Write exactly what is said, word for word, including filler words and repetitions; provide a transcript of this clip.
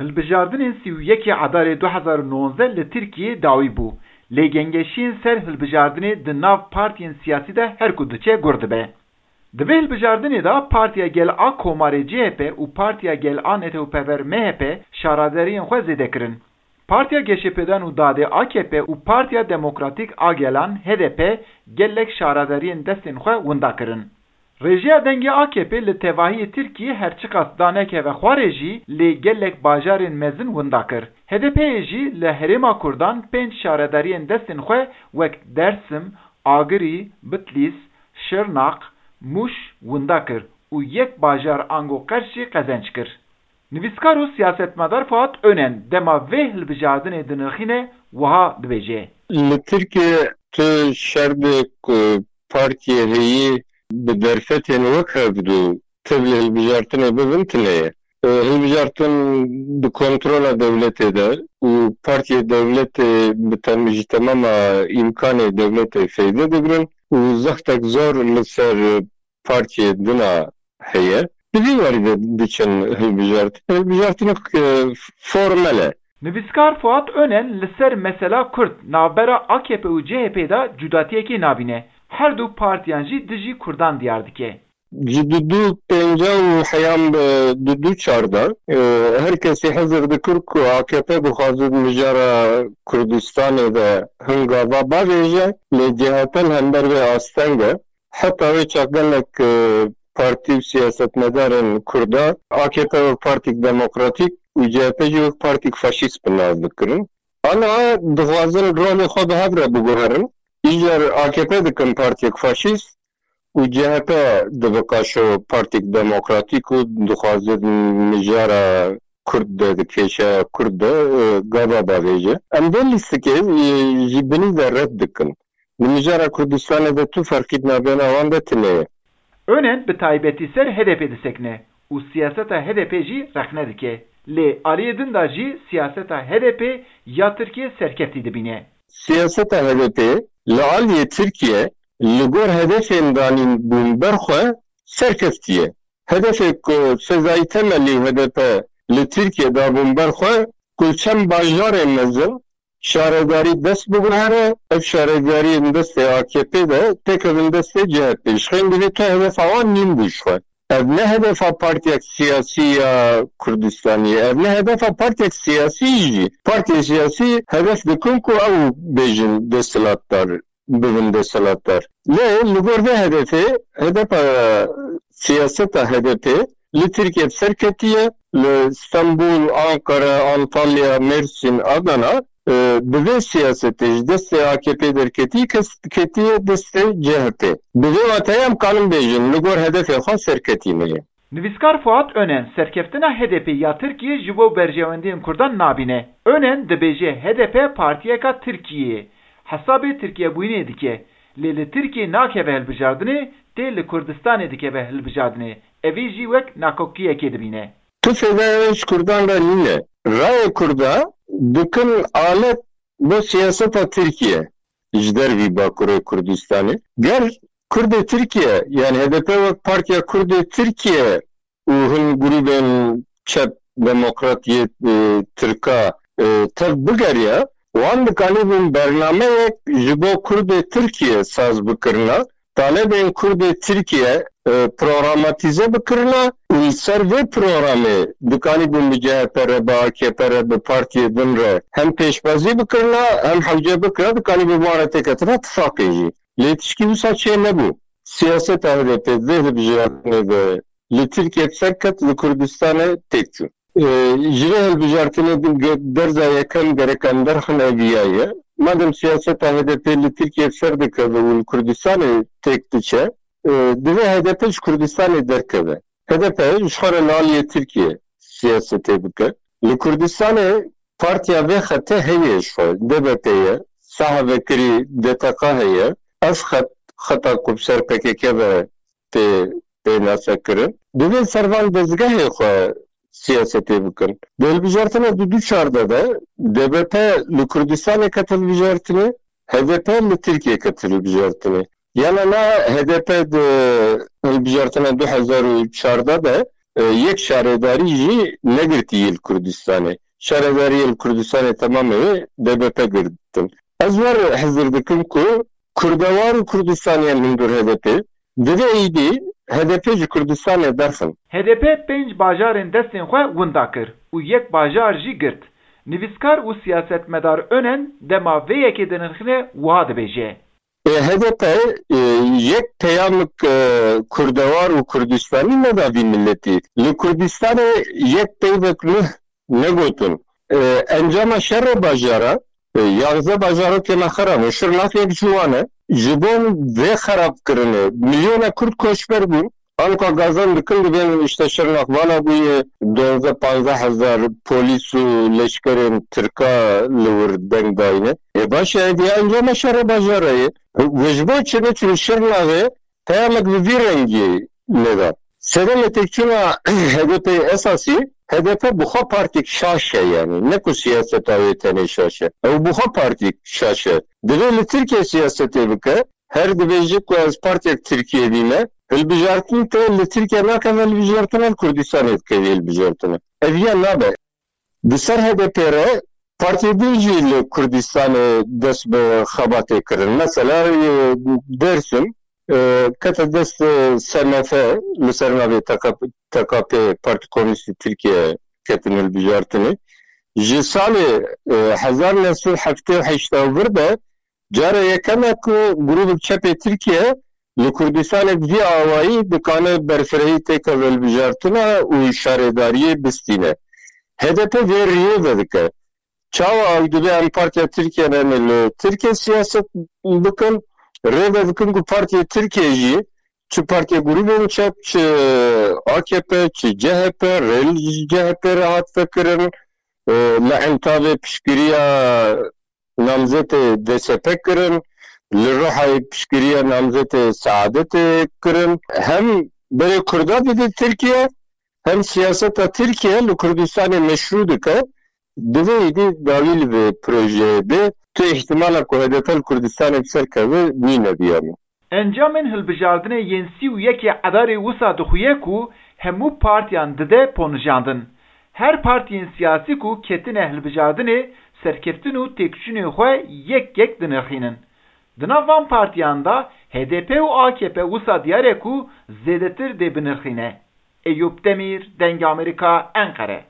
Hilbijardinên sî û yekê Edarê du hezar û nozdeh li Tirkiyê dawî bû, lê gengeşiyên ser hilbijardinê di nav partiyên siyasî de her ku diçe gur dibe. Di vê hilbijardinê de Partiya Gel a Komarê C H P û Partiya Gel a Netewpever M H P şaredariyên xwe zêde kirin. Partiya Geşepêdan û Dadê A K P û Partiya Demokratîk a Gelan H D P gelek şaredariyên destên xwe winda kirin. Rêjeya dengê A K P li tevahiyê Tirkiyê her çiqas danekeve xwarê jî, lê gelek bajarên mezin winda kir. H D P'yê jî li Herêma Kurdan pênc şaredariyên destên xwe wek Dersim, Agirî, Bitlîs, Şirnaq, Mûş winda kir û yek bajar ango Qers jî qezenc kir. Nivîskar û siyasetmedar Fuat Önen dema vê hilbijardinê dinirxîne wiha dibêje. Li Tirkiye tu şerdê ku partiyê heyî bi derfetên wek hevdû tevlî hilbijartinê bibin tune ye. E, hilbijartin di kontrola dewletê de û partiyê dewletê bi tem-, ji temama îmkanê dewletê feyde digirin û zextek zor li ser partiyê din a heye. Bi vî warî de diçin hilbijartin. Hilbijartinek, e, formel e. Nivîskar Fuat Önen li ser mesela Kurd navbera A K P û C H P de cudatiyekê nabîne. Her du partiyan jî dijî Kurdan diyar dike. Ji du du pênca û heyam, e, du du çarda, e, her kesî hezir dikir ku A K P dixwaze di mijara Kurdistanê de hin gava bavêje, lê C H P li hember vê asteng e. Heta wê çax gelek, e, partî û siyasetmedarên Kurda A K P wek partîk demokratîk û C H P jî wek partîk faşîst bi nav dikirin. Ana dixwazin rolê xwe bi hev re biguherin. Îcar A K P dikin partiyek faşîst û C H P dibika şo partîk demokratîk û dixwaze mijara Kurd de, di kêşeya Kurd de, e, gava bavêje. Em vê lîstikê, e, ji binî ve red dikin. Di mijara Kurdistanê de tu ferqî di navbêna wan de tune ye. Önen bi taybetî ser H D P disekine û siyaseta H D P jî rexne dike. Lê aliyê din de jî siyaseta H D P ya Tirkiyê serkeftî dibîne. Siyaseta H D P li aliyê Tirkiye li gor hedefên danîn bûn ber xwe serkeftî ye. Hedefê ku Sezai Temelî û H D P li Tirkiye dabûn ber xwe, ku li çend bajarên mezin şaredarî dest biguhere, ev şaredariyên destê A K P de têkevin destê C H P. Ji xeyn divê tu hedefa wan nîn bû ji xwe. Ev ne hedefa partiyek siyasî ya Kurdistanî ye. Ev ne hedefa partiyek siyasî jî. Partiyê siyasî hedef dikin ku ew bêjin desthilatdar, bibin desthilatdar. Lê li gor vê hedefê, H D P, siyaseta H D P li Tirkiye bi ser ketiye. Li Stenbul, Ankara, Antalya, Mêrsîn, Adana, e, bi vê siyasetê ji destê A K P derketî, kes ketiye destê C H P. Bi vê wateyê em kanin bêjin, li gor hedefê xwe serketî ne ye. Nivîskar Fuat Önen serkeftina H D P ya Tirkiyê ji bo berjewendiyên Kurdan nabîne. Önen dibêje H D P partiyeka Tirkiyê ye, hesabê Tirkiyebûyînê dike, lê li Tirkiyê nakeve hilbijardinê, tê li Kurdistanê dikeve hilbijardinê. Evî jî wek nakokiyekê dibîne. Tu fêdaya wê ji Kurdan re nîne. Rayê Kurda dikin alet bo siyaseta Tirkiye ji dervî Bakurê Kurdistanê. Ger Kurdê Tirkiye, yani H D P wek Partiya Kurdê Tirkiye û hin grûbên çep demokrat yê, e, Tirka, e, tev bigeriya, wan dikanîbûn bernameyek ji bo Kurdê Tirkiye saz bikirina, talebên Kurdê Tirkiye, e, programatîze bikirina û li ser vê programê dikanîbûn bi C H P re, bi A K P re, bi partiyê din re hem pêşbazî bikirina, hem hewce bikira, dikanîbûn bi wan re têketina tifaqê jî. Lê tişkî wisa çê nebû. Siyaseta H D P vê hilbijartinê de li Tirkiye bi ser ket, li Kurdistanê têk çû. E, ji vê hilbijartinê di ge-, derza yekem gerek em derxin eviya ye. Madem siyaseta H D P li Tirkiye bi ser dikeve û li Kurdistanê têk diçe, e, divê H D P ji Kurdistanê derkeve. H D P ji xwe re li aliyê Tirkiye siyasetê bike. Li Kurdistanê partiya vê xetê heye ji xwe, D B P ye, saha vekirî D T K heye. Ev xet, xeta ku bi ser P K K ve tê pênasekirin. Divê ser van dezgehê xwe siyasetê bikin. Di hilbijartina du du çar de de D B P li Kurdistanê ket hilbijartinê, H D P li Tirkiyê ket hilbijartinê. Yana na H D P di hilbijartina du hezar û çardeh de e, yek şaredarî jî negirtî yê li Kurdistanê. Şaredariyê li Kurdistanê temamê wê D B P girtin. Ez wer hizir dikim ku Kurdewar û Kurdistaniyan hundir H D P, divê êdî H D P ji Kurdistanê derxin. H D P pênc bajarên destên xwe winda kir û yek bajar jî girt. Nivîskar û siyasetmedar Önen dema vê yekê dinirxîne wiha dibêje. E, H D P, e, yek peyamik, e, kurdewar û kurdistanî neda vî miletî. Li Kurdistanê yek peyvek nuh negotin. E, encama şerê bajara, e, yanzdeh bajarokê me xirab in. Şirnax yek ji wan e. Ji bo vê xerabkirinê milyona kurd koçber bûn. Anka gazan dikin dibên îşte Şirnax vala bûye duwazdeh panzdeh hezar polîs û leşkerên Tirka li wir deng dayne. Ê baş e, hediya encama şerê bajara ye. Û ji bo çi ne? Çün Şirnaxê peyamek bi vî rengî lêda. Sedemê têkçûna H D P esasî, H D P bi xwe partîk şaş e yani. Ne ku siyaseta wê tenê şaş e. Ew bi xwe partîk şaş e. Divê li Tirkiye siyasetê bike. Her dibêje ku ez partiyek Tirkiyeyê dîme, hilbijartin te li Tirkiye nakeve, hilbijartina li Kurdistanê dikeve hilbijartina. Ev ya nabe. Di ser H D P re partiyê din jî li Kurdistanê dest bi xebatê kirin. Mesela, e, Dersim, e, kete dest, e, S M F, li ser navê T K P, T K P, Partî Komûnîstî Tirkiye ketin hilbijartinê. Ji salê, e, hezar neh sed heftê û heşt û vir de cara yekem e ku grûbek çepê Tirkiye li Kurdistanek vî awayî dikane berfirehî têkeve hilbijartina û şaredariyê bistîne. H D P vê riyê vedike. Çawa ew dibe em Partiya Tirkiye ne li Tirkiye siyaset bikin, rê vedikin ku Partiya Tirkiye jî çi partiya grûbên çep, çi A K P, çi C H P, rê li C H P re hat vekirin, e, li Entavê piştgiriya namzetê D S P kirin, li Ruhayê piştgiriya namzetê Seadetê kirin. Hem berê Kurda dide Tirkiye, hem siyaseta Tirkiye li Kurdistanê meşrû dike. Divê êdî dawî li vê projeyê bê. Tu îhtimala ku H D P li Kurdistanê bi ser keve nîne diya min. Encamên hilbijardinê yên sî û yekê Edarê wisa dixuye ku hemû partiyan dide ponijandin. Her partiyên siyasî ku ketine hilbijardinê serkeftin û têkçûnê xwe yek yek dinirxînin. Di nav van partiyan de H D P û A K P wisa diyar e ku zêdetir dê binirxîne. Eyûp Demîr, Dengê Amerîka, Enqere.